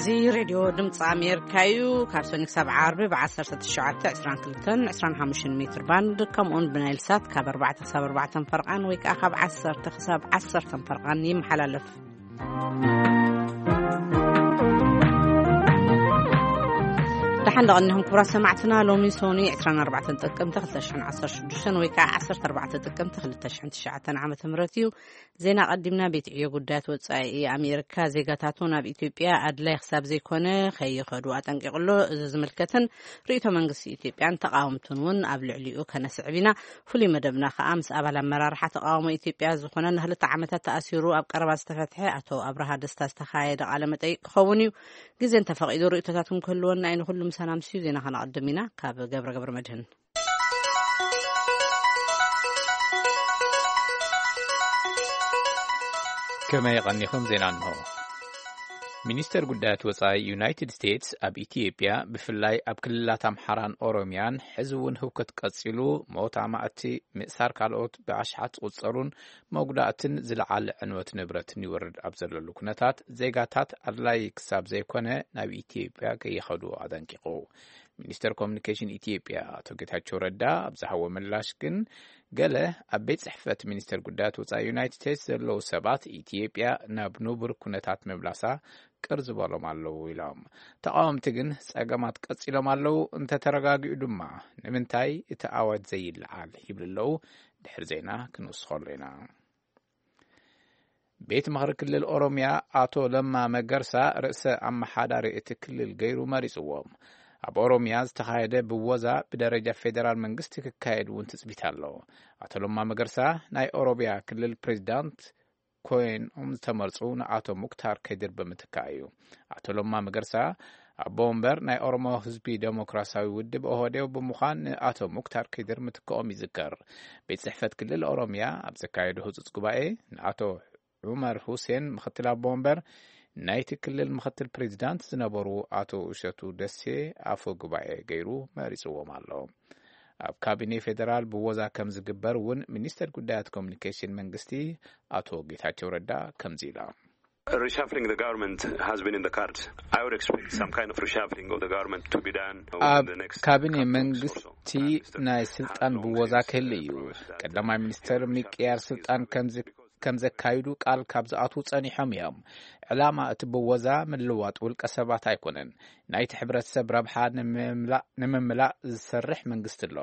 እዚ ሬድዮ ድምፂ ኣሜሪካ እዩ። ካብ ሰኒ ክሳብ ዓርቢ ብ1922 ሜትር ባንድ፣ ከምኡውን ብናይል ሳት ካብ ኣርባዕተ ክሳብ ኣርባዕተ ፈርቓን ወይ ከዓ ካብ ዓሰርተ ክሳብ ዓሰርተ ፈርቓን ይመሓላለፍ። ደሓን ደቐኒኹም ክቡራት ሰማዕትና። ሎሚ ሶኒ 24 ጥቅምቲ 2016 ወይ ከዓ 14 ጥቅምቲ 2009 ዓመተ ምህረት እዩ። ዜና ቀዲምና። ቤት ዕዮ ጉዳያት ወጻኢ ኣሜሪካ ዜጋታቱ ናብ ኢትዮጵያ ኣድላይ ክሳብ ዘይኮነ ከይኸዱ ኣጠንቂቑ ኣሎ። እዚ ዝምልከትን ርእይቶ መንግስቲ ኢትዮጵያን ተቃወምቱን እውን ኣብ ልዕሊኡ ከነስዕብ ኢና። ፍሉይ መደብና ከኣ ምስ ኣባል ኣመራርሓ ተቃውሞ ኢትዮጵያ ዝኾነ ንክልተ ዓመታት ተኣሲሩ ኣብ ቀረባ ዝተፈትሐ ኣቶ ኣብርሃ ደስታ ዝተኻየደ ቃለ መጠይቅ ክኸውን እዩ። ግዜ እንተፈቒዱ ርእይቶታትኩም ክህልወና እዩ። ንኩሉ ምሳና ምስዩ ዜና ከነቐድም ኢና። ካብ ገብረ ገብረ መድህን። ከመይ ቀኒኹም? ዜና እንሆ። ሚኒስተር ጉዳያት ወጻኢ ዩናይትድ ስቴትስ ኣብ ኢትዮጵያ፣ ብፍላይ ኣብ ክልላት ኣምሓራን ኦሮሚያን፣ ሕዚ እውን ህውከት ቀጺሉ፣ ሞት ኣማእቲ፣ ምእሳር ካልኦት ብኣሽሓት ዝቑጸሩን መጉዳእትን ዝለዓለ ዕንወት ንብረትን ይወርድ ኣብ ዘለሉ ኩነታት፣ ዜጋታት ኣድላይ ክሳብ ዘይኮነ ናብ ኢትዮጵያ ከይኸዱ ኣጠንቂቑ። ሚኒስተር ኮሚኒኬሽን ኢትዮጵያ ኣቶ ጌታቸው ረዳ ኣብ ዝሃቦ ምላሽ ግን፣ ገለ ኣብ ቤት ጽሕፈት ሚኒስተር ጉዳያት ወጻኢ ዩናይትድ ስቴትስ ዘለዉ ሰባት፣ ኢትዮጵያ ናብ ንቡር ኩነታት ምምላሳ ቅር ዝበሎም ኣለዉ ኢሎም። ተቃወምቲ ግን፣ ጸገማት ቀጺሎም ኣለዉ፣ እንተተረጋጊኡ ድማ ንምንታይ እቲ ኣዋጅ ዘይለዓል ይብሉ ኣለዉ። ድሕሪ ዜና ክንውስኸሉ ኢና። ቤት ምኽሪ ክልል ኦሮሚያ ኣቶ ለማ መገርሳ ርእሰ ኣመሓዳሪ እቲ ክልል ገይሩ መሪጽዎም። ኣብ ኦሮሚያ ዝተኻየደ ብወዛ ብደረጃ ፌደራል መንግስቲ ክካየድ እውን ትጽቢት ኣሎ። ኣቶ ለማ መገርሳ ናይ ኦሮሚያ ክልል ፕሬዚዳንት ኮይኖም ዝተመርጹ ንኣቶ ሙክታር ከዲር ብምትካእ እዩ። ኣቶ ለማ መገርሳ ኣቦ ወንበር ናይ ኦሮሞ ህዝቢ ዴሞክራሲያዊ ውድብ ኦህዴው ብምዃን ንኣቶ ሙክታር ከዲር ምትክኦም ይዝከር። ቤት ጽሕፈት ክልል ኦሮሚያ ኣብ ዘካየዶ ህጹጽ ጉባኤ ንኣቶ ዑመር ሁሴን ምኽትል ኣቦ ወንበር፣ ናይቲ ክልል ምኽትል ፕሬዚዳንት ዝነበሩ ኣቶ እሸቱ ደሴ ኣፈ ጉባኤ ገይሩ መሪጽዎም ኣሎ። ኣብ ካቢኔ ፌደራል ብወዛ ከም ዝግበር እውን ሚኒስተር ጉዳያት ኮሚኒኬሽን መንግስቲ ኣቶ ጌታቸው ረዳ ከምዚ ኢሎም። Reshuffling the government has been in the cards. I would expect some kind of reshuffling of the government to be done within ኣብ the next ካቢኔ couple of weeks or so. መንግስቲ ናይ ስልጣን ብወዛ ክህሉ እዩ። ቀዳማይ ሚኒስተር ምቅያር ስልጣን ከምዚ ከም ዘካይዱ ቃል ካብ ዝኣትዉ ጸኒሖም እዮም። ዕላማ እቲ ብወዛ ምልዋጥ ውልቀ ሰባት ኣይኮነን። ናይቲ ሕብረተሰብ ረብሓ ንምምላእ፣ ንምምላእ ዝሰርሕ መንግስቲ ኣሎ።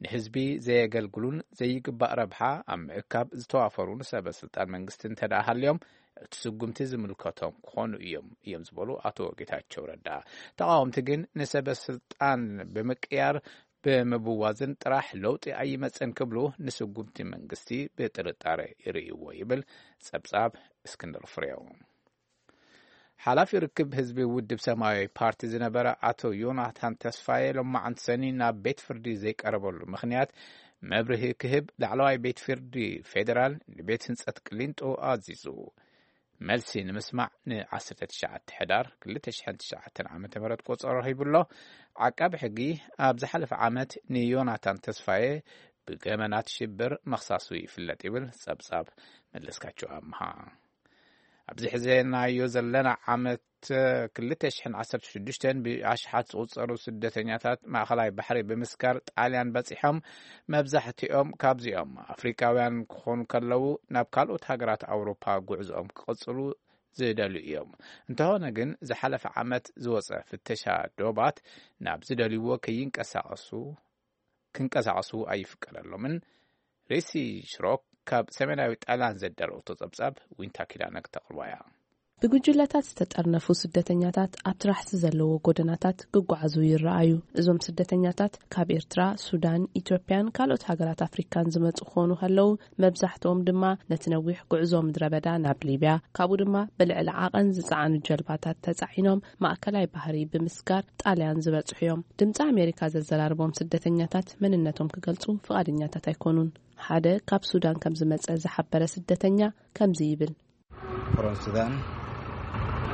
ንህዝቢ ዘየገልግሉን ዘይግባእ ረብሓ ኣብ ምእካብ ዝተዋፈሩን ሰበ ስልጣን መንግስቲ እንተ ደኣ ሃልዮም፣ እቲ ስጉምቲ ዝምልከቶም ክኾኑ እዮም፣ እዮም ዝበሉ ኣቶ ጌታቸው ረዳ። ተቃወምቲ ግን ንሰበ ስልጣን ብምቅያር ብምብዋዝን ጥራሕ ለውጢ ኣይመጽን ክብሉ ንስጉምቲ መንግስቲ ብጥርጣረ ይርእይዎ ይብል ጸብጻብ እስክንድር ፍሬው። ሓላፊ ርክብ ህዝቢ ውድብ ሰማያዊ ፓርቲ ዝነበረ ኣቶ ዮናታን ተስፋዬ ሎማዓንቲ ሰኒ ናብ ቤት ፍርዲ ዘይቀረበሉ ምኽንያት መብርሂ ክህብ ላዕለዋይ ቤት ፍርዲ ፌዴራል ንቤት ህንጸት ቅሊንጦ ኣዚዙ። መልሲ ንምስማዕ ን19 ሕዳር 2009 ዓ.ም ቆጸሮ ሂቡ ኣሎ። ዓቃቢ ሕጊ ኣብ ዝሓለፈ ዓመት ንዮናታን ተስፋዬ ብገበናት ሽብር መኽሳሱ ይፍለጥ ይብል ጸብጻብ መለስካቸው ኣምሃ። ኣብዚ ሕዘናዮ ዘለና ዓመት 2016 ብኣሽሓት ዝቑጸሩ ስደተኛታት ማእከላይ ባሕሪ ብምስጋር ጣልያን በጺሖም። መብዛሕትኦም ካብዚኦም ኣፍሪቃውያን ክኾኑ ከለዉ፣ ናብ ካልኦት ሃገራት ኣውሮፓ ጉዕዞኦም ክቕጽሉ ዝደልዩ እዮም። እንተኾነ ግን፣ ዝሓለፈ ዓመት ዝወጸ ፍተሻ ዶባት ናብ ዝደልይዎ ከይንቀሳቐሱ፣ ክንቀሳቐሱ ኣይፍቀደሎምን። ሪሲ ሽሮክ ካብ ሰሜናዊ ጣልያን ዘዳለወቶ ጸብጻብ ዊንታ ኪዳነ ክተቕርባ እያ። ብጉጅለታት ዝተጠርነፉ ስደተኛታት ኣብ ትራሕቲ ዘለዎ ጎደናታት ክጓዓዙ ይረኣዩ። እዞም ስደተኛታት ካብ ኤርትራ፣ ሱዳን፣ ኢትዮጵያን ካልኦት ሃገራት ኣፍሪካን ዝመጹ ክኾኑ ከለዉ፣ መብዛሕትኦም ድማ ነቲ ነዊሕ ጉዕዞ ምድረ በዳ ናብ ሊብያ፣ ካብኡ ድማ ብልዕሊ ዓቐን ዝጸዓኑ ጀልባታት ተጻዒኖም ማእከላይ ባህሪ ብምስጋር ጣልያን ዝበጽሑ እዮም። ድምጺ ኣሜሪካ ዘዘራርቦም ስደተኛታት መንነቶም ክገልጹ ፍቓደኛታት ኣይኮኑን። ሓደ ካብ ሱዳን ከም ዝመጸ ዝሓበረ ስደተኛ ከምዚ ይብል። From Sudan.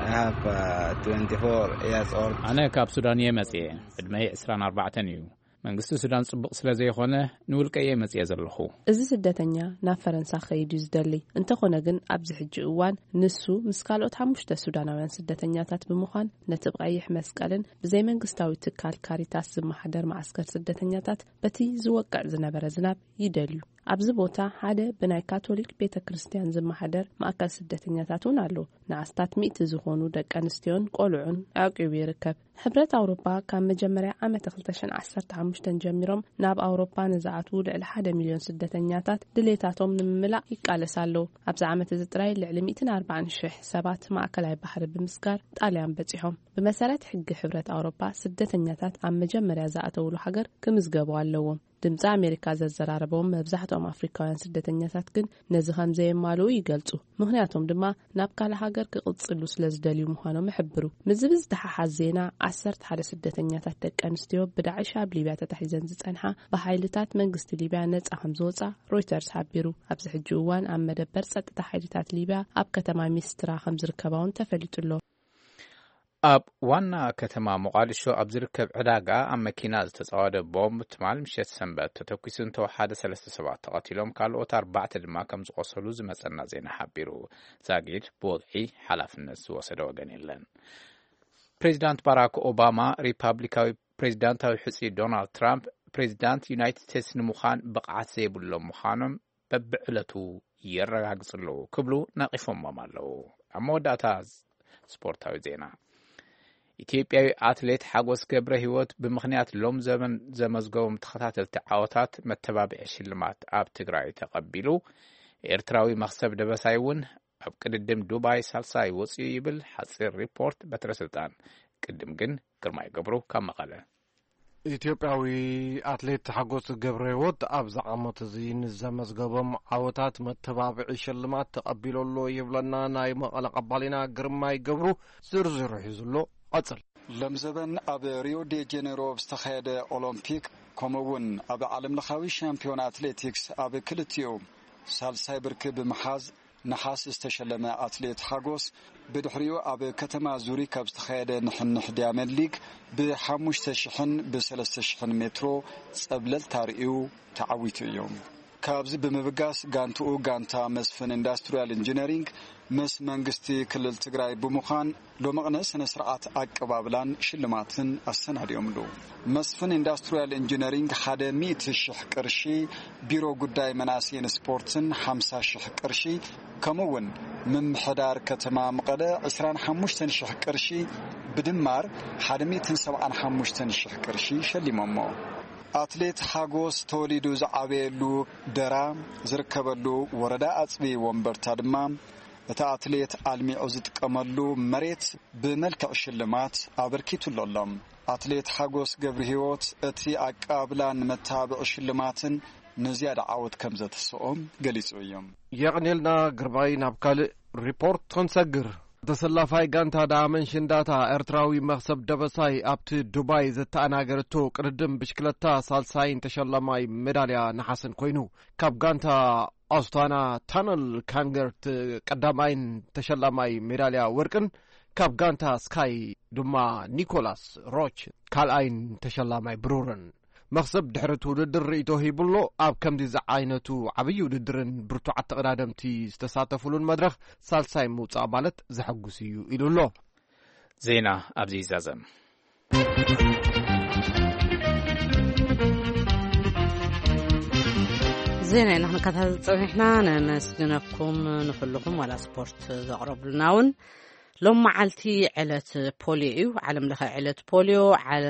I have, uh, twenty-four years old. ኣነ ካብ ሱዳን እየ መጽየ። ዕድመይ 24 እዩ። መንግስቲ ሱዳን ጽቡቕ ስለ ዘይኾነ፣ ንውልቀ እየ መጽየ ዘለኹ። እዚ ስደተኛ ናብ ፈረንሳ ክኸይድ እዩ ዝደሊ። እንተኾነ ግን፣ ኣብዚ ሕጂ እዋን ንሱ ምስ ካልኦት ሓሙሽተ ሱዳናውያን ስደተኛታት ብምዃን፣ ነቲ ብቐይሕ መስቀልን ብዘይ መንግስታዊ ትካል ካሪታስ ዝመሓደር መዓስከር ስደተኛታት በቲ ዝወቅዕ ዝነበረ ዝናብ ይደልዩ። ኣብዚ ቦታ ሓደ ብናይ ካቶሊክ ቤተ ክርስቲያን ዝመሓደር ማእከል ስደተኛታት እውን ኣሎ። ንኣስታት ሚእቲ ዝኾኑ ደቂ ኣንስትዮን ቆልዑን ኣዕቂቡ ይርከብ። ሕብረት ኣውሮፓ ካብ መጀመርያ ዓመት ክልተ ሽሕን ዓሰርተ ሓሙሽተ ጀሚሮም ናብ ኣውሮፓ ንዝኣትዉ ልዕሊ ሓደ ሚልዮን ስደተኛታት ድሌታቶም ንምምላእ ይቃለስ ኣለዉ። ኣብዚ ዓመት እዚ ጥራይ ልዕሊ ሚእትን ኣርባዓን ሽሕ ሰባት ማእከላይ ባሕሪ ብምስጋር ጣልያን በጺሖም። ብመሰረት ሕጊ ሕብረት ኣውሮፓ፣ ስደተኛታት ኣብ መጀመርያ ዝኣተውሉ ሃገር ክምዝገቡ ኣለዎም። ድምፂ ኣሜሪካ ዘዘራረቦም መብዛሕትኦም ኣፍሪካውያን ስደተኛታት ግን ነዚ ከም ዘየማልኡ ይገልፁ። ምኽንያቶም ድማ ናብ ካልእ ሃገር ክቕፅሉ ስለ ዝደልዩ ምዃኖም ይሕብሩ። ምስዚ ብዝተሓሓዝ ዜና፣ ዓሰርተ ሓደ ስደተኛታት ደቂ ኣንስትዮ ብዳዕሽ ኣብ ሊብያ ተታሒዘን ዝፀንሓ፣ ብሓይልታት መንግስቲ ሊብያ ነፃ ከም ዝወፃ ሮይተርስ ሓቢሩ። ኣብዚ ሕጂ እዋን ኣብ መደበር ፀጥታ ሓይልታት ሊብያ ኣብ ከተማ ሚስትራ ከም ዝርከባ እውን ተፈሊጡ ኣሎ። ኣብ ዋና ከተማ ሞቓዲሾ ኣብ ዝርከብ ዕዳጋ ኣብ መኪና ዝተጻወደ ቦምብ ትማል ምሸት ሰንበት ተተኲሱ እንተወሓደ ሰለስተ ሰባት ተቐቲሎም፣ ካልኦት ኣርባዕተ ድማ ከም ዝቖሰሉ ዝመጸና ዜና ሓቢሩ። ዛጊድ ብወግዒ ሓላፍነት ዝወሰደ ወገን የለን። ፕሬዚዳንት ባራክ ኦባማ፣ ሪፓብሊካዊ ፕሬዚዳንታዊ ሕጹ ዶናልድ ትራምፕ፣ ፕሬዚዳንት ዩናይትድ ስቴትስ ንምዃን ብቕዓት ዘይብሎም ምዃኖም በብዕለቱ የረጋግጹ ኣለዉ ክብሉ ነቒፎሞም ኣለዉ። ኣብ መወዳእታ ስፖርታዊ ዜና። ኢትዮጵያዊ ኣትሌት ሓጎስ ገብረ ህይወት ብምኽንያት ሎም ዘበን ዘመዝገቦም ተኸታተልቲ ዓወታት መተባብዒ ሽልማት ኣብ ትግራይ ተቐቢሉ። ኤርትራዊ መኽሰብ ደበሳይ እውን ኣብ ቅድድም ዱባይ ሳልሳይ ወፂኡ ይብል ሓፂር ሪፖርት በትረ ስልጣን። ቅድም ግን ግርማይ ገብሩ ካብ መቐለ። ኢትዮጵያዊ ኣትሌት ሓጎስ ገብረ ህይወት ኣብዚ ዓመት እዚ ንዘመዝገቦም ዓወታት መተባብዒ ሽልማት ተቐቢሉ ኣሎ ይብለና ናይ መቐለ ቀባሊና ግርማይ ገብሩ። ዝርዝሩ ሒዙ ኣሎ። ቀጽል። ለምዘበን ኣብ ሪዮ ዴ ጄኔሮ ኣብ ዝተኻየደ ኦሎምፒክ፣ ከምኡ እውን ኣብ ዓለምለኻዊ ሻምፒዮን ኣትሌቲክስ ኣብ ክልቲኡ ሳልሳይ ብርኪ ብምሓዝ ነሓስ ዝተሸለመ ኣትሌት ሓጎስ፣ ብድሕሪኡ ኣብ ከተማ ዙሪክ ኣብ ዝተኻየደ ንሕንሕ ዲያመንድ ሊግ ብሓሙሽተ ሽሕን ብሰለስተ ሽሕን ሜትሮ ጸብለልታ ርእዩ ተዓዊቱ እዩ። ካብዚ ብምብጋስ፣ ጋንትኡ ጋንታ መስፍን ኢንዳስትሪያል ኢንጂነሪንግ ምስ መንግስቲ ክልል ትግራይ ብምዃን፣ ሎመቕነ ስነ ስርዓት ኣቀባብላን ሽልማትን ኣሰናዲኦምሉ። መስፍን ኢንዳስትሪያል ኢንጂነሪንግ ሓደ ሚእቲ ሽሕ ቅርሺ፣ ቢሮ ጉዳይ መናእሰይን ስፖርትን ሓምሳ ሽሕ ቅርሺ፣ ከምኡ እውን ምምሕዳር ከተማ መቐለ ዕስራን ሓሙሽተን ሽሕ ቅርሺ፣ ብድማር ሓደ ሚእትን ሰብዓን ሓሙሽተን ሽሕ ቅርሺ ሸሊሞሞ። ኣትሌት ሓጎስ ተወሊዱ ዝዓበየሉ ደራ ዝርከበሉ ወረዳ ኣፅቢ ወንበርታ ድማ፣ እቲ ኣትሌት ኣልሚዑ ዝጥቀመሉ መሬት ብመልክዕ ሽልማት ኣበርኪቱሉ ኣሎ። ኣትሌት ሓጎስ ገብረ ህይወት፣ እቲ ኣቀባብላን መተባብዒ ሽልማትን ንዝያዳ ዓወት ከም ዘተስኦም ገሊጹ እዩ። የቕኔልና ግርማይ። ናብ ካልእ ሪፖርት ክንሰግር። ተሰላፋይ ጋንታ ዳመን ሽንዳታ ኤርትራዊ መኽሰብ ደበሳይ ኣብቲ ዱባይ ዘተኣናገረቶ ቅድድም ብሽክለታ ሳልሳይን ተሸላማይ ሜዳልያ ነሓስን ኮይኑ፣ ካብ ጋንታ ኣስታና ታነል ካንገርት ቀዳማይን ተሸላማይ ሜዳልያ ወርቅን፣ ካብ ጋንታ ስካይ ድማ ኒኮላስ ሮች ካልኣይን ተሸላማይ ብሩርን። መኽሰብ ድሕሪ እቲ ውድድር ርእይቶ ሂቡሎ። ኣብ ከምዚ ዝዓይነቱ ዓብዪ ውድድርን ብርቱዓት ተቐዳደምቲ ዝተሳተፉሉን መድረኽ ሳልሳይ ምውጻእ ማለት ዘሐጉስ እዩ ኢሉ ኣሎ። ዜና ኣብዚ ይዛዘም። ዜና ኢና ክንከታተል ጸኒሕና። ነመስግነኩም ንኹልኹም፣ ዋላ ስፖርት ዘቕረቡልና እውን። ሎም መዓልቲ ዕለት ፖልዮ እዩ፣ ዓለም ለኸ ዕለት ፖልዮ። ዓለ-፣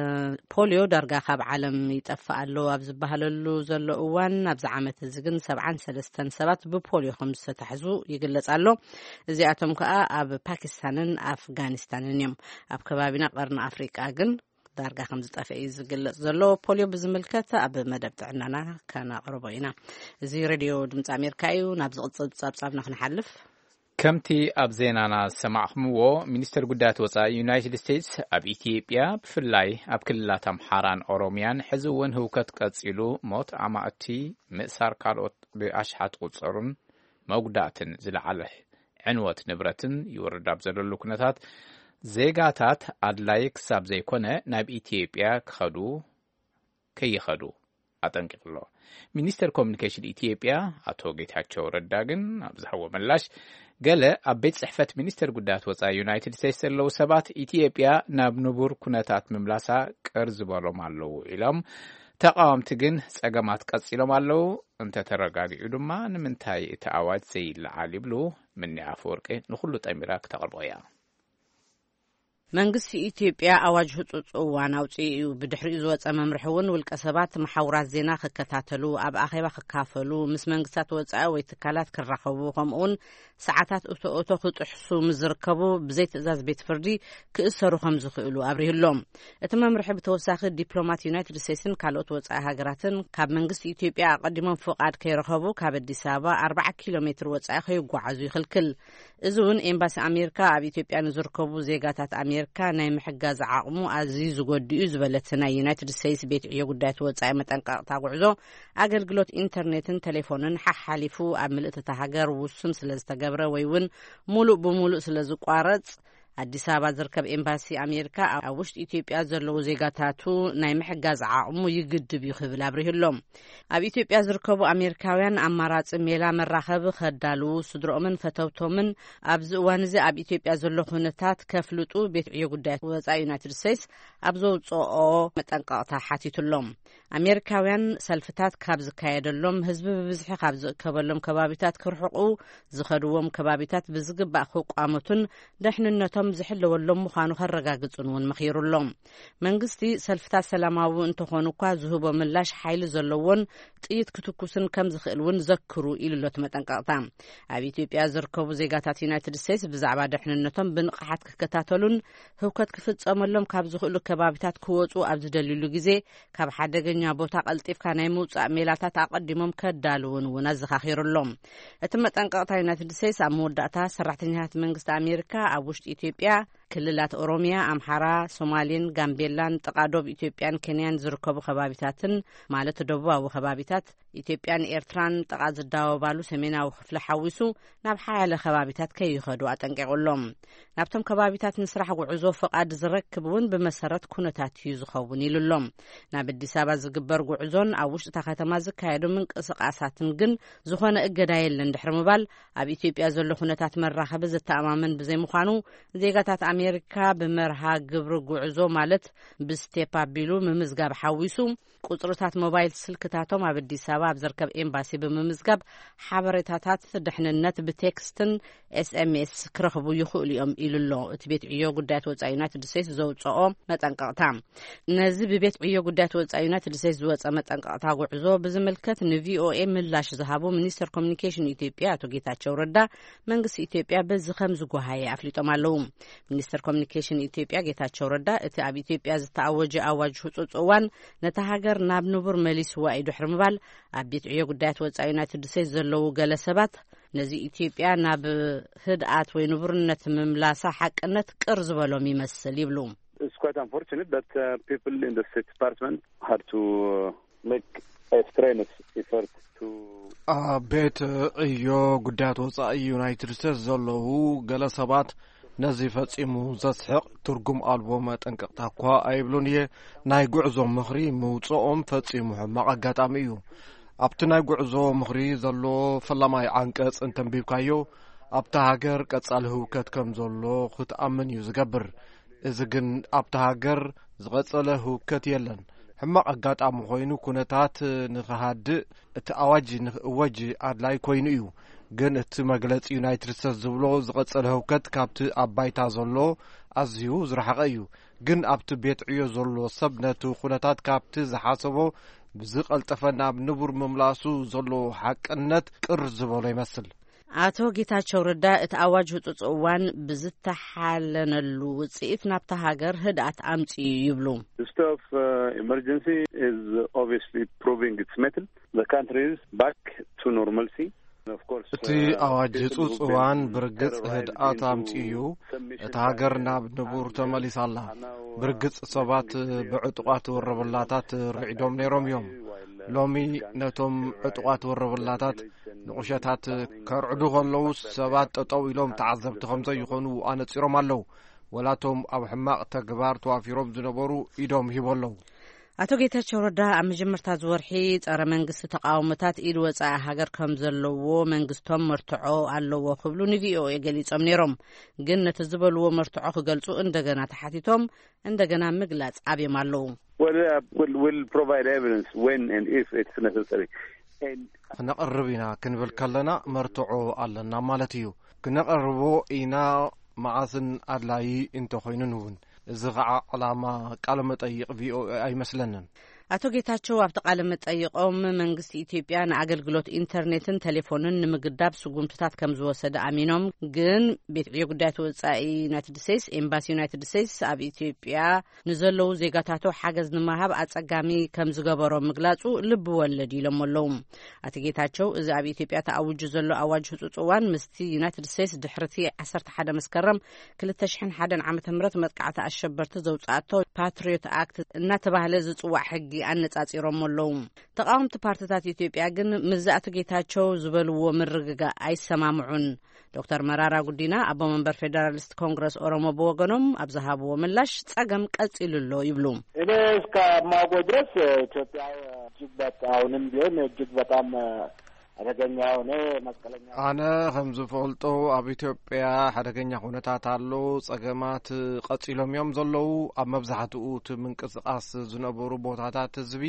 ፖልዮ ዳርጋ ካብ ዓለም ይጠፍእ ኣሎ ኣብ ዝበሃለሉ ዘሎ እዋን፣ ኣብዚ ዓመት እዚ ግን ሰብዓን ሰለስተን ሰባት ብፖልዮ ከም ዝተታሕዙ ይግለጽ ኣሎ። እዚኣቶም ከኣ ኣብ ፓኪስታንን ኣፍጋኒስታንን እዮም። ኣብ ከባቢና ቀርኒ ኣፍሪቃ ግን ዳርጋ ከም ዝጠፍአ እዩ ዝግለጽ ዘሎ። ፖልዮ ብዝምልከት ኣብ መደብ ጥዕናና ከነቕርቦ ኢና። እዚ ሬድዮ ድምፂ ኣሜሪካ እዩ። ናብ ዝቕጽል ጸብጻብና ክንሓልፍ። ከምቲ ኣብ ዜናና ዝሰማዕኹምዎ፣ ሚኒስተር ጉዳያት ወጻኢ ዩናይትድ ስቴትስ ኣብ ኢትዮጵያ፣ ብፍላይ ኣብ ክልላት ኣምሓራን ኦሮሚያን፣ ሕዚ እውን ህውከት ቀጺሉ፣ ሞት ኣማእቲ፣ ምእሳር ካልኦት ብኣሽሓት ዝቑጸሩን መጉዳእትን ዝለዓለ ዕንወት ንብረትን ይወርድ ኣብ ዘለሉ ኩነታት፣ ዜጋታት ኣድላይ ክሳብ ዘይኮነ ናብ ኢትዮጵያ ክኸዱ ከይኸዱ ኣጠንቂቑ ኣሎ። ሚኒስተር ኮሚኒኬሽን ኢትዮጵያ ኣቶ ጌታቸው ረዳ ግን ኣብ ዝሃቦ ምላሽ፣ ገለ ኣብ ቤት ጽሕፈት ሚኒስተር ጉዳያት ወጻኢ ዩናይትድ ስቴትስ ዘለዉ ሰባት ኢትዮጵያ ናብ ንቡር ኩነታት ምምላሳ ቅር ዝበሎም ኣለዉ ኢሎም፣ ተቓወምቲ ግን ጸገማት ቀጺሎም ኣለዉ፣ እንተተረጋጊኡ ድማ ንምንታይ እቲ ኣዋጅ ዘይለዓል ይብሉ። ምኒ ኣፈወርቂ ንኹሉ ጠሚራ ክተቕርቦ እያ። መንግስቲ ኢትዮጵያ ኣዋጅ ህጹጽ እዋን ኣውጺኡ እዩ። ብድሕሪኡ ዝወጸ መምርሒ እውን ውልቀ ሰባት መሓውራት ዜና ክከታተሉ፣ ኣብ ኣኼባ ክካፈሉ፣ ምስ መንግስታት ወጻኢ ወይ ትካላት ክራኸቡ፣ ከምኡውን ሰዓታት እቶ እቶ ክጥሕሱ ምስ ዝርከቡ ብዘይ ትእዛዝ ቤት ፍርዲ ክእሰሩ ከም ዝኽእሉ ኣብሪሁሎም። እቲ መምርሒ ብተወሳኺ ዲፕሎማት ዩናይትድ ስቴትስን ካልኦት ወጻኢ ሃገራትን ካብ መንግስቲ ኢትዮጵያ ኣቐዲሞም ፍቓድ ከይረኸቡ ካብ ኣዲስ ኣበባ ኣርባዓ ኪሎ ሜትር ወጻኢ ከይጓዓዙ ይኽልክል። እዚ እውን ኤምባሲ ኣሜሪካ ኣብ ኢትዮጵያ ንዝርከቡ ዜጋታት ኣሜሪካ ናይ ምሕጋዝ ዓቕሙ ኣዝዩ ዝጎድእ እዩ ዝበለት ናይ ዩናይትድ ስቴትስ ቤት ዕዮ ጉዳያት ወጻኢ መጠንቀቕታ ጉዕዞ፣ ኣገልግሎት ኢንተርኔትን ቴሌፎንን ሓሓሊፉ ኣብ ምልእቲ እታ ሃገር ውሱን ስለ ዝተገብረ ወይ እውን ሙሉእ ብሙሉእ ስለ ዝቋረጽ፣ ኣዲስ ኣበባ ዝርከብ ኤምባሲ ኣሜሪካ ኣብ ውሽጢ ኢትዮጵያ ዘለዉ ዜጋታቱ ናይ ምሕጋዝ ዓቕሙ ይግድብ እዩ ክብል ኣብሪሁሎም። ኣብ ኢትዮጵያ ዝርከቡ ኣሜሪካውያን ኣማራጺ ሜላ መራኸቢ ከዳልዉ፣ ስድሮኦምን ፈተውቶምን ኣብዚ እዋን እዚ ኣብ ኢትዮጵያ ዘሎ ኩነታት ከፍልጡ ቤት ዕዮ ጉዳያት ወጻኢ ዩናይትድ ስቴትስ ኣብ ዘውጽኦ መጠንቀቕታ ሓቲቱሎም። ኣሜሪካውያን ሰልፍታት ካብ ዝካየደሎም፣ ህዝቢ ብብዝሒ ካብ ዝእከበሎም ከባቢታት ክርሕቑ፣ ዝኸድዎም ከባቢታት ብዝግባእ ክቋመቱን ደሕንነቶም ዝሕለወሎም ምዃኑ ከረጋግጹን እውን መኺሩሎም። መንግስቲ ሰልፍታት ሰላማዊ እንተኾኑ እኳ ዝህቦ ምላሽ ሓይሊ ዘለዎን ጥይት ክትኩስን ከም ዝኽእል እውን ዘክሩ ኢሉ ኣሎ እቲ መጠንቀቕታ። ኣብ ኢትዮጵያ ዝርከቡ ዜጋታት ዩናይትድ ስቴትስ ብዛዕባ ደሕንነቶም ብንቕሓት ክከታተሉን ህውከት ክፍጸመሎም ካብ ዝኽእሉ ከባቢታት ክወጹ ኣብ ዝደልዩሉ ግዜ ካብ ሓደገኛ ቦታ ቀልጢፍካ ናይ ምውጻእ ሜላታት ኣቐዲሞም ከዳልውን እውን ኣዘኻኺሩ ኣሎ። እቲ መጠንቀቕታ ዩናይትድ ስቴትስ ኣብ መወዳእታ ሰራሕተኛታት መንግስቲ ኣሜሪካ ኣብ ውሽጢ ኢትዮጵያ ክልላት ኦሮሚያ፣ ኣምሓራ፣ ሶማሌን ጋምቤላን ጥቓ ዶብ ኢትዮጵያን ኬንያን ዝርከቡ ከባቢታትን ማለት ደቡባዊ ከባቢታት ኢትዮጵያን ኤርትራን ጥቓ ዝዳወባሉ ሰሜናዊ ክፍሊ ሓዊሱ ናብ ሓያለ ከባቢታት ከይኸዱ ኣጠንቂቑ ኣሎ። ናብቶም ከባቢታት ንስራሕ ጉዕዞ ፍቓድ ዝረክብ እውን ብመሰረት ኩነታት እዩ ዝኸውን ኢሉ ኣሎ። ናብ ኣዲስ ኣበባ ዝግበር ጉዕዞን ኣብ ውሽጢ እታ ከተማ ዝካየዱ ምንቅስቓሳትን ግን ዝኾነ እገዳ የለን ድሕሪ ምባል፣ ኣብ ኢትዮጵያ ዘሎ ኩነታት መራኸቢ ዘተኣማምን ብዘይምዃኑ፣ ዜጋታት ኣሜሪካ ብመርሃ ግብሪ ጉዕዞ ማለት ብስቴፕ ኣቢሉ ምምዝጋብ ሓዊሱ፣ ቁጽርታት ሞባይል ስልክታቶም ኣብ ኣዲስ ኣበባ ኣብ ዝርከብ ኤምባሲ ብምምዝጋብ ሓበሬታታት ድሕንነት ብቴክስትን ኤስኤምኤስ ክረኽቡ ይኽእሉ እዮም ኢሉ ኣሎ እቲ ቤት ዕዮ ጉዳያት ወጻኢ ዩናይትድ ስቴትስ ዘውጽኦ መጠንቀቕታ። ነዚ ብቤት ዕዮ ጉዳያት ወጻኢ ዩናይትድ ስቴትስ ዝወጸ መጠንቀቕታ ጉዕዞ ብዝምልከት ንቪኦኤ ምላሽ ዝሃቡ ሚኒስተር ኮሚኒኬሽን ኢትዮጵያ ኣቶ ጌታቸው ረዳ፣ መንግስቲ ኢትዮጵያ በዚ ከም ዝጓሃየ ኣፍሊጦም ኣለዉ። ሚኒስተር ኮሚኒኬሽን ኢትዮጵያ ጌታቸው ረዳ፣ እቲ ኣብ ኢትዮጵያ ዝተኣወጀ ኣዋጅ ህጹጽ እዋን ነታ ሃገር ናብ ንቡር መሊስዋ እዩ ድሕሪ ምባል፣ ኣብ ቤት ዕዮ ጉዳያት ወጻኢ ዩናይትድ ስቴትስ ዘለዉ ገለ ሰባት፣ ነዚ ኢትዮጵያ ናብ ህድኣት ወይ ንቡርነት ምምላሳ ሓቅነት ቅር ዝበሎም ይመስል ይብሉ። It's quite unfortunate that uh, people in the State Department had to uh, make a strenuous effort to ኣብ ቤት ዕዮ ጉዳያት ወጻኢ ዩናይትድ ስቴትስ ዘለዉ ገለ ሰባት ነዚ ፈጺሙ ዘስሕቕ ትርጉም ኣልቦ መጠንቀቕታ እኳ ኣይብሉን እየ። ናይ ጉዕዞ ምኽሪ ምውጽኦም ፈጺሙ ሕማቕ ኣጋጣሚ እዩ። ኣብቲ ናይ ጉዕዞ ምኽሪ ዘሎ ፈላማይ ዓንቀጽ እንተንቢብካዮ፣ ኣብታ ሃገር ቀጻሊ ህውከት ከም ዘሎ ክትኣምን እዩ ዝገብር። እዚ ግን ኣብታ ሃገር ዝቐጸለ ህውከት የለን። ሕማቕ ኣጋጣሚ ኮይኑ፣ ኩነታት ንኽሃድእ እቲ ኣዋጅ ንኽእወጅ ኣድላይ ኮይኑ እዩ። ግን እቲ መግለጺ ዩናይትድ ስቴትስ ዝብሎ ዝቐጸለ ህውከት ካብቲ ኣብ ባይታ ዘሎ ኣዝዩ ዝረሓቐ እዩ። ግን ኣብቲ ቤት ዕዮ ዘሎ ሰብ ነቲ ኩነታት ካብቲ ዝሓሰቦ ብዝቐልጠፈ ናብ ንቡር ምምላሱ ዘሎ ሓቅነት ቅር ዝበሎ ይመስል። ኣቶ ጌታቸው ረዳ፣ እቲ ኣዋጅ ህጹጽ እዋን ብዝተሓለነሉ ውጽኢት ናብታ ሃገር ህድኣት ኣምጺኡ ይብሉ። The state of uh, emergency is obviously proving its mettle. The country is back to normalcy. Of course, እቲ uh, ኣዋጅ ህጹጽ እዋን ብርግጽ ህድኣት ኣምጺኡ እዩ። እታ ሃገር ናብ ንቡር ተመሊሳ ኣላ። ብርግጽ ሰባት ብዕጡቓት ወረበላታት ርዒዶም ነይሮም እዮም። ሎሚ ነቶም ዕጡቓት ወረበላታት ንቑሸታት ከርዕዱ ከለዉ ሰባት ጠጠው ኢሎም ተዓዘብቲ ከም ዘይኾኑ ኣነጺሮም ኣለዉ። ወላቶም ኣብ ሕማቕ ተግባር ተዋፊሮም ዝነበሩ ኢዶም ሂቦ ኣለዉ። ኣቶ ጌታቸው ረዳ ኣብ መጀመርታ ዝወርሒ ጸረ መንግስቲ ተቃውሞታት ኢድ ወጻኢ ሃገር ከም ዘለዎ መንግስቶም መርትዖ ኣለዎ ክብሉ ን ቪ ኦ ኤ ገሊጾም ነይሮም። ግን ነቲ ዝበልዎ መርትዖ ክገልጹ እንደገና ተሓቲቶም እንደገና ምግላጽ ኣብዮም ኣለዉ። Well, uh, we'll, we'll provide evidence when and if it's necessary. And ክነቕርብ ኢና ክንብል ከለና መርትዖ ኣለና ማለት እዩ። ክነቕርቦ ኢና መዓስን ኣድላዪ እንተኾይኑን እውን። እዚ ኸዓ ዕላማ ቃለ መጠይቕ ቪ ኦ ኤ ኣይመስለንን። ኣቶ ጌታቸው ኣብቲ ቃለ መጠይቖም መንግስቲ ኢትዮጵያ ንኣገልግሎት ኢንተርኔትን ቴሌፎንን ንምግዳብ ስጉምትታት ከም ዝወሰደ ኣሚኖም፣ ግን ቤት ዕዮ ጉዳያት ወጻኢ ዩናይትድ ስቴትስ፣ ኤምባሲ ዩናይትድ ስቴትስ ኣብ ኢትዮጵያ ንዘለዉ ዜጋታቱ ሓገዝ ንምሃብ ኣጸጋሚ ከም ዝገበሮ ምግላጹ ልቢ ወለድ ኢሎም ኣለዉ። ኣቶ ጌታቸው፣ እዚ ኣብ ኢትዮጵያ ተኣውጁ ዘሎ ኣዋጅ ህጹጽ እዋን ምስቲ ዩናይትድ ስቴትስ ድሕርቲ ዓሰርተ ሓደ መስከረም ክልተ ሽሕን ሓደን ዓመተ ምህረት መጥቃዕቲ ኣሸበርቲ ዘውጻኣቶ ፓትሪዮት ኣክት እናተባህለ ዝጽዋዕ ሕጊ ኣነጻጺሮም ኣለዉ። ተቃወምቲ ፓርትታት ኢትዮጵያ ግን ምስዚ ኣቶ ጌታቸው ዝበልዎ ምርግጋእ ኣይሰማምዑን። ዶክተር መራራ ጉዲና ኣቦ መንበር ፌደራሊስት ኮንግረስ ኦሮሞ ብወገኖም ኣብ ዝሃብዎ ምላሽ ጸገም ቀጺሉ ኣሎ ይብሉ። እኔ እስከማውቀው ድረስ ኢትዮጵያ እጅግ በጣም፣ አሁንም ቢሆን እጅግ በጣም አደገኛ የሆነ መስቀለኛ ኣነ ከም ዝፈልጦ ኣብ ኢትዮጵያ ሓደገኛ ኩነታት ኣሎ። ጸገማት ቀጺሎም እዮም ዘለዉ። ኣብ መብዛሕትኡ እቲ ምንቅስቃስ ዝነበሩ ቦታታት ህዝቢ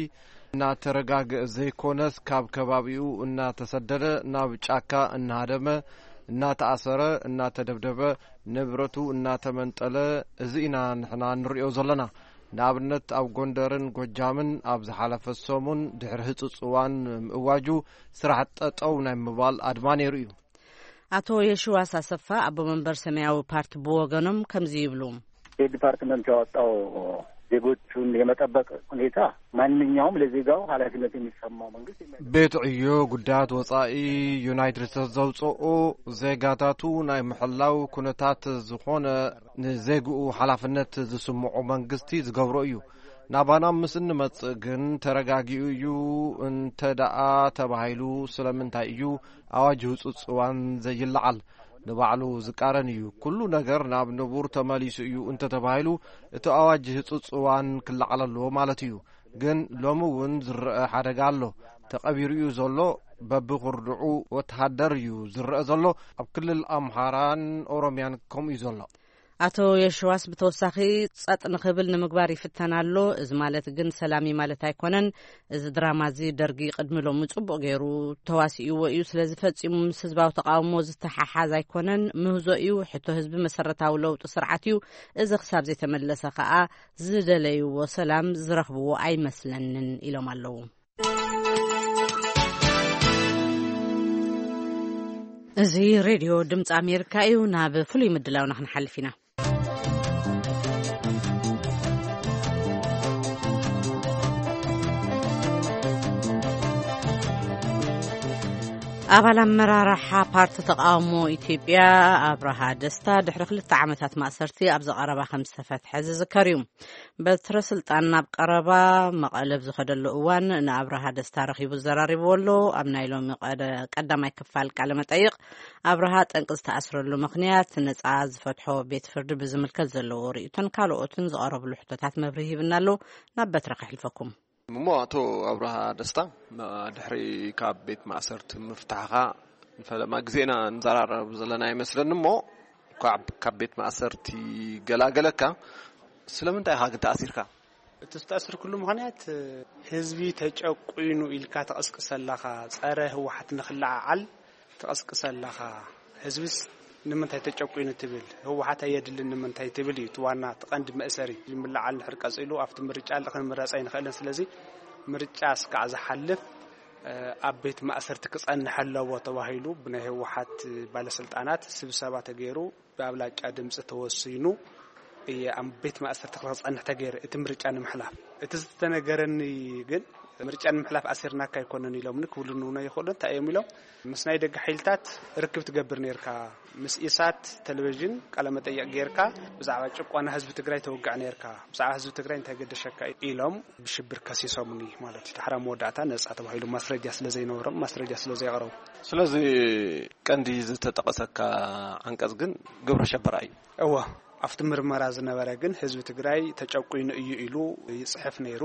እናተረጋግአ ዘይኮነስ ካብ ከባቢኡ እናተሰደደ ናብ ጫካ እናሃደመ እናተኣሰረ እናተደብደበ ንብረቱ እናተመንጠለ እዚ ኢና ንሕና ንሪኦ ዘለና። ንኣብነት ኣብ ጎንደርን ጎጃምን ኣብ ዝሓለፈ ሰሙን ድሕሪ ህጹጽ እዋን ምእዋጁ ስራሕ ጠጠው ናይ ምባል ኣድማ ነይሩ እዩ። ኣቶ የሽዋስ ኣሰፋ ኣቦ መንበር ሰማያዊ ፓርቲ ብወገኖም ከምዚ ይብሉ። ስቴት ዲፓርትመንት ያወጣው ዜጎቹን የመጠበቅ ሁኔታ ማንኛውም ለዜጋው ኃላፊነት የሚሰማው መንግስት የሚያደርግ ቤት ዕዮ ጉዳያት ወጻኢ ዩናይትድ ስቴትስ ዘውፅኦ ዜጋታቱ ናይ ምሕላው ኩነታት ዝኾነ ንዜግኡ ሓላፍነት ዝስምዖ መንግስቲ ዝገብሮ እዩ። ናባና ምስ እንመጽእ ግን ተረጋጊኡ እዩ እንተ ደኣ ተባሂሉ ስለምንታይ እዩ ኣዋጅ ህጹጽ እዋን ዘይለዓል? ንባዕሉ ዝቃረን እዩ። ኩሉ ነገር ናብ ንቡር ተመሊሱ እዩ እንተተባሂሉ፣ እቲ ኣዋጅ ህጹጽ እዋን ክለዓል ኣለዎ ማለት እዩ። ግን ሎሚ እውን ዝረአ ሓደጋ ኣሎ። ተቐቢሩ እዩ ዘሎ። በብኽርድዑ ወተሃደር እዩ ዝረአ ዘሎ። ኣብ ክልል ኣምሓራን ኦሮምያን ከምኡ እዩ ዘሎ። ኣቶ የሽዋስ ብተወሳኺ ጸጥ ንኽብል ንምግባር ይፍተን ኣሎ። እዚ ማለት ግን ሰላም እዩ ማለት ኣይኮነን። እዚ ድራማ እዚ ደርጊ ቅድሚ ሎሚ ጽቡቕ ገይሩ ተዋሲእዎ እዩ። ስለዚ ፈጺሙ ምስ ህዝባዊ ተቓውሞ ዝተሓሓዝ ኣይኮነን። ምህዞ እዩ። ሕቶ ህዝቢ መሰረታዊ ለውጢ ስርዓት እዩ። እዚ ክሳብ ዘይተመለሰ ከኣ ዝደለይዎ ሰላም ዝረኽብዎ ኣይመስለንን ኢሎም ኣለዉ። እዚ ሬድዮ ድምፂ ኣሜሪካ እዩ። ናብ ፍሉይ ምድላውና ክንሓልፍ ኢና። ኣባል ኣመራርሓ ፓርቲ ተቃውሞ ኢትዮጵያ ኣብርሃ ደስታ ድሕሪ ክልተ ዓመታት ማእሰርቲ ኣብ ዘቐረባ ከም ዝተፈትሐ ዝዝከር እዩ። በትረ ስልጣን ናብ ቀረባ መቐለ ኣብ ዝኸደሉ እዋን ንኣብርሃ ደስታ ረኺቡ ዘራሪብዎ ኣሎ። ኣብ ናይ ሎሚ ቀደ-፣ ቀዳማይ ክፋል ቃለ መጠይቕ ኣብርሃ ጠንቂ ዝተኣስረሉ ምኽንያት ነጻ ዝፈትሖ ቤት ፍርዲ ብዝምልከት ዘለዎ ርእይቶን ካልኦትን ዝቐረብሉ ሕቶታት መብርሂ ሂብና ኣሎ። ናብ በትረ ከሕልፈኩም። እሞ ኣቶ ኣብርሃ ደስታ፣ ድሕሪ ካብ ቤት ማእሰርቲ ምፍታሕኻ ንፈለማ ግዜ ኢና ንዘራረብ ዘለና ይመስለኒ። እሞ ካብ፣ ካብ ቤት ማእሰርቲ ገላገለካ፣ ስለምንታይ ኢኻ ግን ተኣሲርካ? እቲ ዝተኣስርኩሉ ምኽንያት፣ ህዝቢ ተጨቁይኑ ኢልካ ትቕስቅስ ኣለኻ፣ ጸረ ህወሓት ንኽለዓዓል ትቐስቅስ ኣለኻ። ህዝብስ ንምንታይ ተጨቁይኑ ትብል? ህወሓት ኣየድልን ንምንታይ ትብል እዩ እቲ ዋና፣ እቲ ቀንዲ መእሰሪ። ምልዓል እንድሕር ቀጺሉ ኣብቲ ምርጫ ክንምረጽ ኣይንኽእልን። ስለዚ ምርጫ እስካዕ ዝሓልፍ፣ እ፣ ኣብ ቤት ማእሰርቲ ክጸንሕ ኣለዎ ተባሂሉ ብናይ ህወሓት ባለስልጣናት ስብሰባ ተገይሩ ብኣብላጫ ድምፂ ተወሲኑ እየ ኣብ ቤት ማእሰርቲ ክጸንሕ ተገይሩ፣ እቲ ምርጫ ንምሕላፍ። እቲ ዝተነገረኒ ግን፣ ምርጫ ንምሕላፍ ኣሲርናካ ኣይኮነን ኢሎምኒ ክብሉኒ እውን ኣይኽእሉ። እንታይ እዮም ኢሎም? ምስ ናይ ደገ ሓይልታት ርክብ ትገብር ነርካ፣ ምስ ኢሳት ቴሌቪዥን ቃለመጠይቕ ጌርካ፣ ብዛዕባ ጭቆና ህዝቢ ትግራይ ተውግዕ ነርካ፣ ብዛዕባ ህዝቢ ትግራይ እንታይ ገደሸካ ኢሎም ብሽብር ከሲሶምኒ ማለት እዩ። ዳሕራ መወዳእታ ነጻ ተባሂሉ፣ ማስረጃ ስለ ዘይነበሮም፣ ማስረጃ ስለ ዘየቕረቡ። ስለዚ ቀንዲ ዝተጠቐሰካ ዓንቀጽ ግን ግብረ ሸበራ እዩ። እወ፣ ኣብቲ ምርመራ ዝነበረ ግን ህዝቢ ትግራይ ተጨቁይኑ እዩ ኢሉ ይጽሕፍ ነይሩ።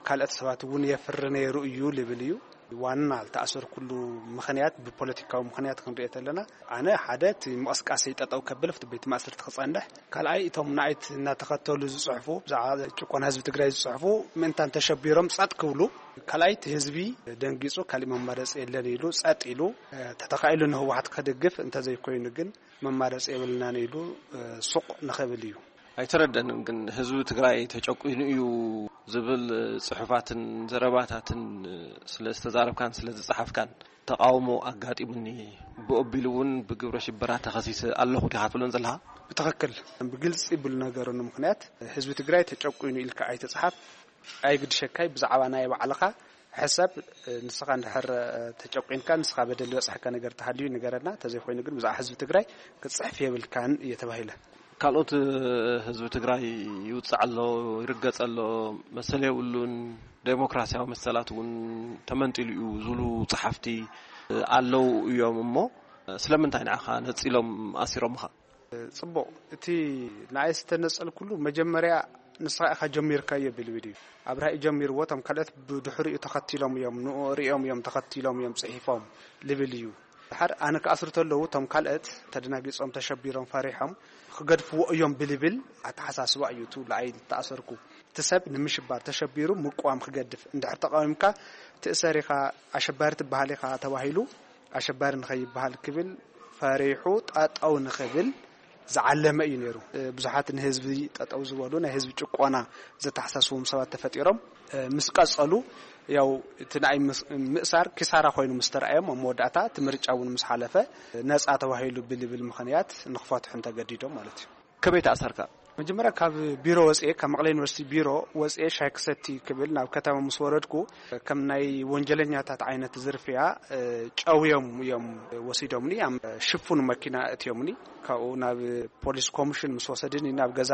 ካልኦት ሰባት እውን የፍሪ ነይሩ እዩ ልብል እዩ። ዋና ዝተኣሰርኩሉ ምኽንያት ብፖለቲካዊ ምኽንያት ክንሪኦ ተለና፣ ኣነ ሓደ እቲ ምቕስቃሰይ ጠጠው ከብል ኣብቲ ቤት ማእሰርቲ ክጸንሕ፣ ካልኣይ እቶም ንኣይት እናተኸተሉ ዝጽሕፉ፣ ብዛዕባ ጭቆና ህዝቢ ትግራይ ዝጽሕፉ ምእንታን ተሸቢሮም ጸጥ ክብሉ፣ ካልኣይ እቲ ህዝቢ ደንጊጹ ካሊእ መማረፂ የለን ኢሉ ጸጥ ኢሉ፣ ተተኻኢሉ ንህወሓት ከደግፍ፣ እንተዘይኮይኑ ግን መማረፂ የብልናን ኢሉ ሱቕ ንኽብል እዩ። ኣይተረደንን ግን ህዝቢ ትግራይ ተጨቁኑ እዩ ዝብል ጽሑፋትን ዘረባታትን ስለ ዝተዛረብካን ስለ ዝጸሓፍካን ተቃውሞ ኣጋጢሙኒ፣ ብኦቢሉ እውን ብግብረ ሽበራ ተኸሲሰ ኣለኹ ዲኻ ትብለን ዘለኻ? ብትኽክል። ብግልፂ ብሉ ነገሩ ንምኽንያት ህዝቢ ትግራይ ተጨቁኑ ኢልካ ኣይተፅሓፍ፣ ኣይግድሸካይ ብዛዕባ ናይ ባዕልኻ ሕሰብ። ንስኻ እንድሕር ተጨቁንካ፣ ንስኻ በደል ዝበፅሐካ ነገር ተሃልዩ ንገረና፣ እንተዘይኮይኑ ግን ብዛዕባ ህዝቢ ትግራይ ክትፅሕፍ የብልካን እየ ተባሂለ። ካልኦት ህዝቢ ትግራይ ይውፅዕ ኣሎ፣ ይርገፅ ኣሎ፣ መሰል የብሉን፣ ዴሞክራሲያዊ መሰላት እውን ተመንጢሉ እዩ ዝብሉ ፀሓፍቲ ኣለዉ እዮም። እሞ ስለምንታይ ንዓኻ ነፂሎም ኣሲሮምኻ? ጽቡቕ፣ እቲ ንኣይ ዝተነጸልኩሉ መጀመርያ ንስኻ ኢኻ ጀሚርካዮ ብልብል እዩ። ኣብርሃ እዩ ጀሚርዎ፣ እቶም ካልኦት ብድሕሪኡ ተኸቲሎም እዮም፣ ንኡ ሪኦም እዮም ተኸቲሎም እዮም ጽሒፎም ልብል እዩ። ድሓር ኣነ ክኣስሩ ተለዉ እቶም ካልኦት ተደናጊጾም፣ ተሸቢሮም፣ ፈሪሖም ክገድፍዎ እዮም ብልብል ኣተሓሳስባ እዩ እቲ ንኣይ ዝተኣሰርኩ። እቲ ሰብ ንምሽባር ተሸቢሩ ምቅዋም ክገድፍ፣ እንድሕር ተቃዊምካ ትእሰር ኢኻ፣ ኣሸባሪ ትበሃል ኢኻ ተባሂሉ ኣሸባሪ ንኸይበሃል ክብል ፈሪሑ ጠጠው ንኽብል ዝዓለመ እዩ ነይሩ። ብዙሓት ንህዝቢ ጠጠው ዝበሉ ናይ ህዝቢ ጭቆና ዘተሓሳስቦም ሰባት ተፈጢሮም ምስ ቀጸሉ፣ ያው እቲ ንኣይ ምስ-፣ ምእሳር ኪሳራ ኮይኑ ምስ ተረኣዮም ኣብ መወዳእታ እቲ ምርጫ እውን ምስ ሓለፈ ነጻ ተባሂሉ ብልብል ምኽንያት ንኽፈትሑ እንተገዲዶም ማለት እዩ። ከመይ ተኣሰርካ? መጀመርያ ካብ ቢሮ ወፅኤ፣ ካብ መቐለ ዩኒቨርሲቲ ቢሮ ወፅኤ ሻይ ክሰቲ ክብል ናብ ከተማ ምስ ወረድኩ፣ ከም ናይ ወንጀለኛታት ዓይነት ዝርፍያ፣ እ፣ ጨውዮም እዮም ወሲዶምኒ። ኣብ ሽፉን መኪና እትዮምኒ። ካብኡ ናብ ፖሊስ ኮሚሽን ምስ ወሰድኒ፣ ናብ ገዛ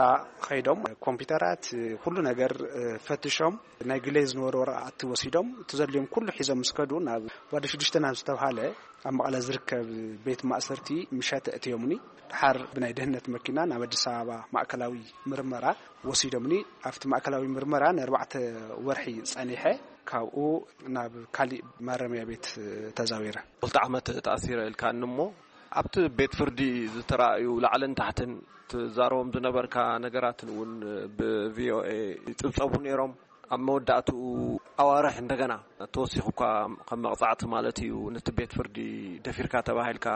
ኸይዶም ኮምፒውተራት፣ ኩሉ ነገር፣ እ፣ ፈትሾም፣ ናይ ግለይ ዝነበሩ ወረቓቕቲ ወሲዶም፣ እቲ ዘድልዮም ኩሉ ሒዞም ምስ ከዱ፣ ናብ ዋዲ ሽዱሽተ ናብ ዝተብሃለ ኣብ መቐለ ዝርከብ ቤት ማእሰርቲ ምሸት እትዮምኒ። ድሓር ብናይ ደህንነት መኪና ናብ ኣዲስ ኣበባ ማእከላዊ ምርመራ ወሲዶምኒ። ኣብቲ ማእከላዊ ምርመራ ንኣርባዕተ ወርሒ ጸኒሐ፣ ካብኡ ናብ ካሊእ ማረምያ ቤት ተዛዊረ። ክልተ ዓመት ተኣሲረ ኢልካኒ እሞ፣ ኣብቲ ቤት ፍርዲ ዝተራእዩ ላዕልን ታሕትን ትዛረቦም ዝነበርካ ነገራትን እውን ብቪኦኤ ይጽብጸቡ ነይሮም። ኣብ መወዳእትኡ ኣዋርሕ እንደገና ተወሲኹ እኳ ከም መቕጻዕቲ ማለት እዩ፣ ነቲ ቤት ፍርዲ ደፊርካ ተባሂልካ።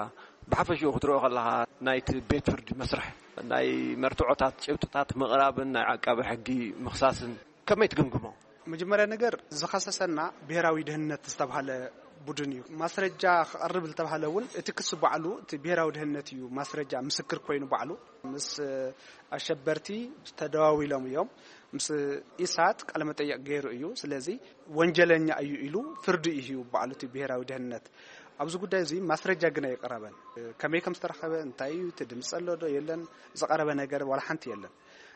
ብሓፈሽኡ ክትሪኦ ከለኻ ናይቲ ቤት ፍርዲ መስርሕ፣ ናይ መርትዖታት ጭብጥታት ምቕራብን ናይ ዓቃቢ ሕጊ ምኽሳስን ከመይ ትግምግሞ? መጀመርያ ነገር ዝኸሰሰና ብሄራዊ ደህንነት ዝተባሃለ ቡድን እዩ። ማስረጃ ክቐርብ ዝተባሃለ እውን እቲ ክሲ ባዕሉ እቲ ብሄራዊ ደህንነት እዩ ማስረጃ ምስክር ኮይኑ ባዕሉ ምስ ኣሸበርቲ ተደዋዊሎም እዮም። ምስ ኢሳት ቃለ መጠየቕ ገይሩ እዩ። ስለዚ ወንጀለኛ እዩ ኢሉ ፍርዲ እዩ ሂቡ ባዕሉ እቲ ብሄራዊ ደህንነት። ኣብዚ ጉዳይ እዚ ማስረጃ ግን ኣይቀረበን። ከመይ ከም ዝተረኸበ፣ እንታይ እዩ፣ እቲ ድምፂ ኣሎ ዶ የለን፣ ዝቐረበ ነገር ዋላ ሓንቲ የለን።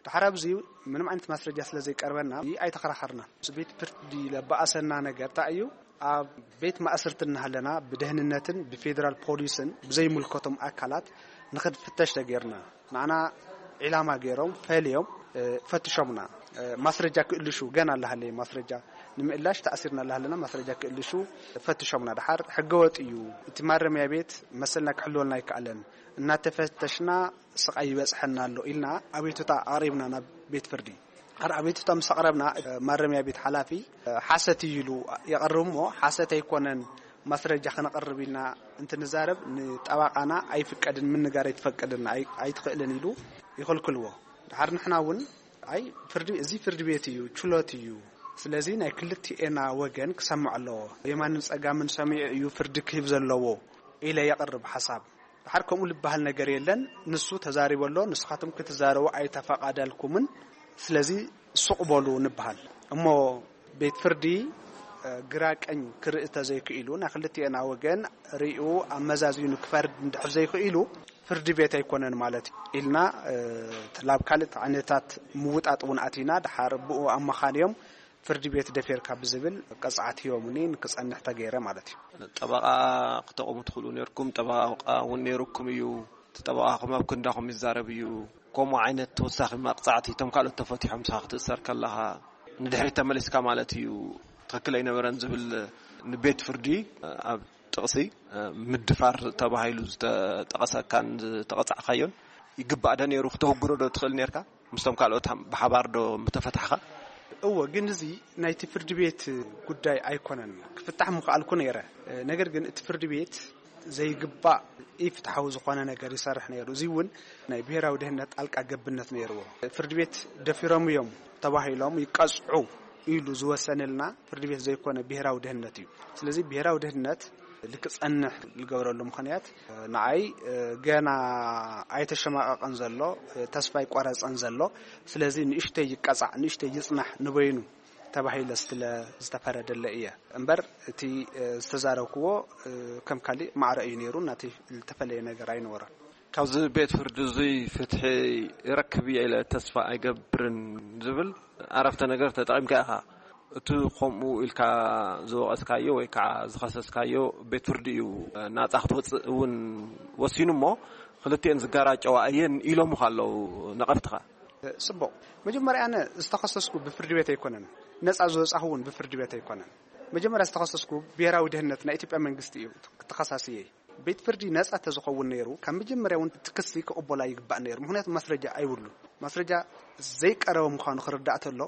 ድሓር ኣብዚ ምንም ዓይነት ማስረጃ ስለ ዘይቀርበና ኣይተኸራኸርና። ምስ ቤት ፍርዲ ለበኣሰና ነገር እንታይ እዩ? ኣብ ቤት ማእስርቲ እናሃለና ብደህንነትን ብፌደራል ፖሊስን ብዘይምልከቶም ኣካላት ንኽንፍተሽ ተገይርና። ንዓና ዒላማ ገይሮም ፈልዮም፣ እ፣ ፈትሾምና። እ፣ ማስረጃ ክእልሹ ገና ኣላሃለየ ማስረጃ ንምእላሽ ተኣሲርና ኣላሃለና ማስረጃ ክእልሹ ፈትሾምና። ድሓር ሕገወጥ እዩ፣ እቲ ማረምያ ቤት መሰልና ክሕልወልና ኣይከኣለን፣ እናተፈተሽና ስቓይ ይበጽሐና ኣሎ ኢልና ኣቤቱታ ኣቕሪብና ናብ ቤት ፍርዲ። ድሓር ኣቤቱታ ምስ ኣቕረብና፣ እ፣ ማረምያ ቤት ሓላፊ፣ እ፣ ሓሰት እዩ ኢሉ የቕርብ እሞ፣ ሓሰት ኣይኮነን፣ ማስረጃ ከነቕርብ ኢልና እንትንዛረብ፣ ንጠባቓና ኣይፍቀድን፣ ምንጋር ኣይትፈቅድን፣ ኣይ-፣ ኣይትኽእልን ኢሉ ይኽልክልዎ። ድሓር ንሕና እውን፣ ኣይ፣ ፍርዲ፣ እዚ ፍርዲ ቤት እዩ፣ ችሎት እዩ። ስለዚ ናይ ክልቲኤና ወገን ክሰምዕ ኣለዎ። የማንን ጸጋምን ሰሚዑ እዩ ፍርዲ ክህብ ዘለዎ ኢለ የቕርብ ሓሳብ። ድሓር ከምኡ ዝበሃል ነገር የለን። ንሱ ተዛሪቡ ኣሎ፣ ንስኻትኩም ክትዛረቡ ኣይተፈቐደልኩምን፣ ስለዚ ሱቕ በሉ ንበሃል። እሞ ቤት ፍርዲ፣ እ፣ ግራ ቀኝ ክርኢ ተዘይክኢሉ፣ ናይ ክልቲኤና ወገን ርእዩ ኣመዛዚኑ ክፈርድ እንድሕር ዘይክኢሉ፣ ፍርዲ ቤት ኣይኮነን ማለት እዩ ኢልና፣ እ፣ ላብ ካልእ ዓይነታት ምውጣጥ እውን ኣቲና፣ ድሓር ብኡ ኣመኻንዮም ፍርዲ ቤት ደፊርካ ብዝብል ቅፅዓት ሂቦምኒ፣ ንክፀንሕ ተገይረ ማለት እዩ። ጠበቓ ክተቑሙ ትኽእሉ ነይርኩም፣ ጠበቓ እውን ነይርኩም እዩ። እቲ ጠበቓኹም ኣብ ክንዳኹም ይዛረብ እዩ። ከምኡ ዓይነት ተወሳኺ መቕፃዕቲ፣ እቶም ካልኦት ተፈቲሖም፣ ንስኻ ክትእሰር ከለኻ ንድሕሪት ተመሊስካ ማለት እዩ። ትኽክል ኣይነበረን ዝብል ንቤት ፍርዲ ኣብ ጥቕሲ ምድፋር ተባሂሉ ዝተጠቐሰካን ዝተቐጻዕካዮን ይግባእ ዶ ነይሩ? ክተህጉሮ ዶ ትኽእል ነርካ? ምስቶም ካልኦት ብሓባር ዶ ምተፈታሕኻ? እወ፣ ግን እዚ ናይቲ ፍርዲ ቤት ጉዳይ ኣይኮነን። ክፍታሕ ምኽኣልኩ ነይረ። ነገር ግን እቲ ፍርዲ ቤት ዘይግባእ ኢፍትሓዊ ዝኾነ ነገር ይሰርሕ ነይሩ። እዚ እውን ናይ ብሔራዊ ድህነት ጣልቃ ገብነት ነይርዎ። ፍርዲ ቤት ደፊሮም እዮም ተባሂሎም ይቀጽዑ ኢሉ ዝወሰነልና ፍርዲ ቤት ዘይኮነ ብሔራዊ ድህነት እዩ። ስለዚ ብሔራዊ ድህነት ልክጸንሕ ዝገብረሉ ምኽንያት ንዓይ ገና ኣይተሸማቐቐን ዘሎ፣ ተስፋ ኣይቆረጸን ዘሎ። ስለዚ ንእሽተይ ይቀጻዕ፣ ንእሽተይ ይጽናሕ ንበይኑ ተባሂለ ስለ ዝተፈረደለ እየ እምበር እቲ ዝተዛረብክዎ ከም ካሊእ ማዕረ እዩ ነይሩ። ናተይ ዝተፈለየ ነገር ኣይነበረን። ካብዚ ቤት ፍርዲ እዙይ ፍትሒ ይረክብ እየ ኢለ ተስፋ ኣይገብርን ዝብል ዓረፍተ ነገር ተጠቒምካ ኢኻ። እቲ ከምኡ ኢልካ ዝወቐስካዮ ወይ ከዓ ዝኸሰስካዮ ቤት ፍርዲ እዩ ናጻ ክትወፅእ እውን ወሲኑ እሞ ክልቲኤን ዝጋራጨዋ እየን ኢሎምኻ ኣለዉ ነቐፍትኻ። ጽቡቕ። መጀመርያ ኣነ ዝተኸሰስኩ ብፍርዲ ቤት ኣይኮነን። ነጻ ዝወጻኹ እውን ብፍርዲ ቤት ኣይኮነን። መጀመርያ ዝተኸሰስኩ ብሔራዊ ድህነት ናይ ኢትዮጵያ መንግስቲ እዩ ተኸሳስየ። ቤት ፍርዲ ነጻ ተዝኸውን ነይሩ ካብ መጀመርያ እውን እቲ ክሲ ክቕበላ ይግባእ ነይሩ። ምኽንያቱ ማስረጃ ኣይብሉ። ማስረጃ ዘይቀረበ ምዃኑ ክርዳእ ተሎ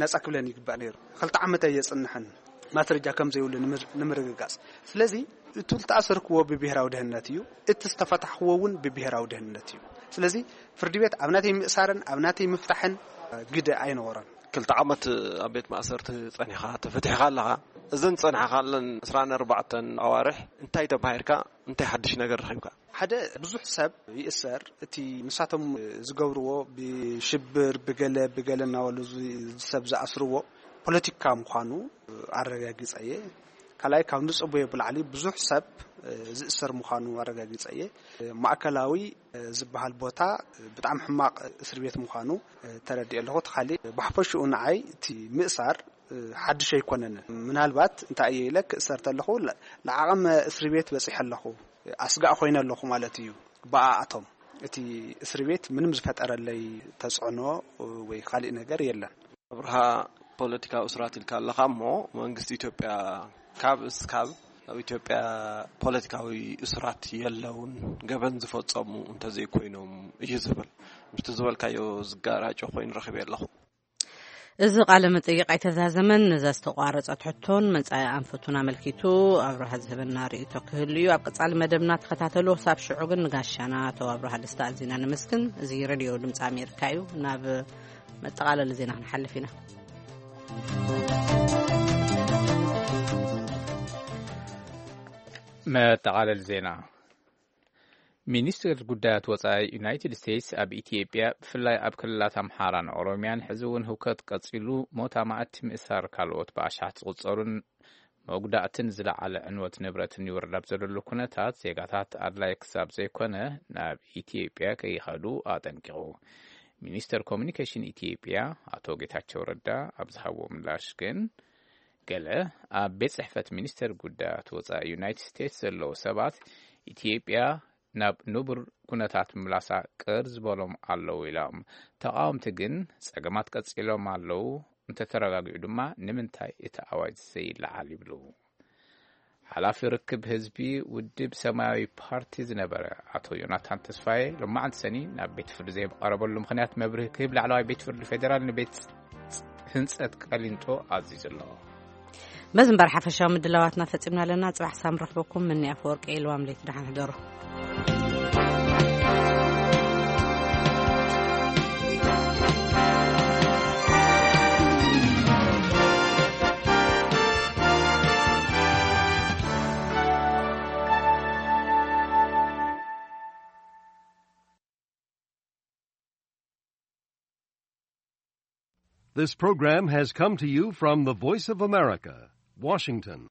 ነጻ ክብለን ይግባእ ነይሩ። ክልተ ዓመት ኣየጽንሕን ማስረጃ ከም ዘይብሉ ንምር- ንምርግጋጽ። ስለዚ እቲ ዝተኣሰርክዎ ብብሔራዊ ድህነት እዩ፣ እቲ ዝተፈታሕክዎ እውን ብብሔራዊ ድህነት እዩ። ስለዚ ፍርዲ ቤት ኣብ ናተይ ምእሳርን ኣብ ናተይ ምፍታሕን ግደ ኣይነበሮን። ክልተ ዓመት ኣብ ቤት ማእሰርቲ ጸኒኻ ተፈቲሕኻ ኣለኻ። እዘን ጸንሓኻለን ዕስራን ኣርባዕተን ኣዋርሕ እንታይ ተማሂርካ? እንታይ ሓድሽ ነገር ረኺብካ? ሓደ ብዙሕ ሰብ ይእሰር። እቲ ንሳቶም ዝገብርዎ ብሽብር ብገለ ብገለ እናበሉ ዝ- ሰብ ዝኣስርዎ ፖለቲካ ምዃኑ ኣረጋጊጸ እየ። ካልኣይ ካብ ንጽቡዮ ብላዕሊ ብዙሕ ሰብ ዝእሰር ምዃኑ ኣረጋጊጸ እየ። ማእከላዊ ዝበሃል ቦታ ብጣዕሚ ሕማቕ እስር ቤት ምዃኑ ተረዲኦ ኣለኹ። እቲ ካሊእ ብሓፈሽኡ ንዓይ እቲ ምእሳር ሓድሽ ኣይኮነንን። ምናልባት እንታይ እየ ኢለ ክእሰር ተለኹ ለ- ለዓቐመ እስሪ ቤት በጺሐ ኣለኹ። ኣስጋእ ኮይነ ኣለኹ ማለት እዩ። ብኣኣቶም እቲ እስሪ ቤት ምንም ዝፈጠረለይ ተጽዕኖ ወይ ካሊእ ነገር የለን። ኣብርሃ፣ ፖለቲካዊ እስራት ኢልካ ኣለኻ እሞ መንግስቲ ኢትዮጵያ ካብ እስካብ ኣብ ኢትዮጵያ ፖለቲካዊ እስራት የለውን፣ ገበን ዝፈጸሙ እንተዘይኮይኖም እዩ ዝብል። ምስቲ ዝበልካዮ ዝጋራጮ ኮይኑ ረኺበ ኣለኹ። እዚ ቃለ መጠይቕ ኣይተዛዘመን። ነዛ ዝተቋረጸት ሕቶን መጻኢ ኣንፈቱን ኣመልኪቱ ኣብርሃ ዝህበና ርእይቶ ክህሉ እዩ። ኣብ ቀጻሊ መደብና ተኸታተሉ። ክሳብ ሽዑ ግን ንጋሻና ኣቶ ኣብርሃ ደስታ ኣዚና ነመስግን። እዚ ሬድዮ ድምፂ ኣሜሪካ እዩ። ናብ መጠቓለሊ ዜና ክንሓልፍ ኢና። መጠቓለሊ ዜና። ሚኒስትር ጉዳያት ወጻኢ ዩናይትድ ስቴትስ ኣብ ኢትዮጵያ፣ ብፍላይ ኣብ ክልላት ኣምሓራን ኦሮሚያን፣ ሕዚ እውን ህውከት ቀጺሉ፣ ሞት ኣማእቲ ምእሳር ካልኦት ብኣሽሓት ዝቑጸሩን መጉዳእትን ዝለዓለ ዕንወት ንብረትን ይወርድ ኣብ ዘለሉ ኩነታት፣ ዜጋታት ኣድላይ ክሳብ ዘይኮነ ናብ ኢትዮጵያ ከይኸዱ ኣጠንቂቑ። ሚኒስተር ኮሚኒኬሽን ኢትዮጵያ ኣቶ ጌታቸው ረዳ ኣብ ዝሃብዎ ምላሽ ግን፣ ገለ ኣብ ቤት ጽሕፈት ሚኒስተር ጉዳያት ወጻኢ ዩናይትድ ስቴትስ ዘለዉ ሰባት፣ ኢትዮጵያ ናብ ንቡር ኩነታት ምምላሳ ቅር ዝበሎም ኣለዉ ኢሎም። ተቓወምቲ ግን፣ ጸገማት ቀጺሎም ኣለዉ፣ እንተተረጋጊዑ ድማ ንምንታይ እቲ ኣዋጅ ዘይለዓል ይብሉ። ሓላፊ ርክብ ህዝቢ ውድብ ሰማያዊ ፓርቲ ዝነበረ ኣቶ ዮናታን ተስፋዬ፣ ሎማዕንቲ ሰኒ ናብ ቤት ፍርዲ ዘይቀረበሉ ምኽንያት መብርሂ ክህብ ላዕለዋይ ቤት ፍርዲ ፌዴራል ንቤት ህንጸት ቀሊንጦ ኣዚዙ ኣሎ። በዚ እምበር ሓፈሻዊ ምድላዋትና ፈጺምና ኣለና። ጽባሕ ሳም ረኽበኩም። ምኒ ኣፈወርቂ ኢልዋም ለይቲ ደሓን ሕደሩ። This program has come to you from the Voice of America, Washington.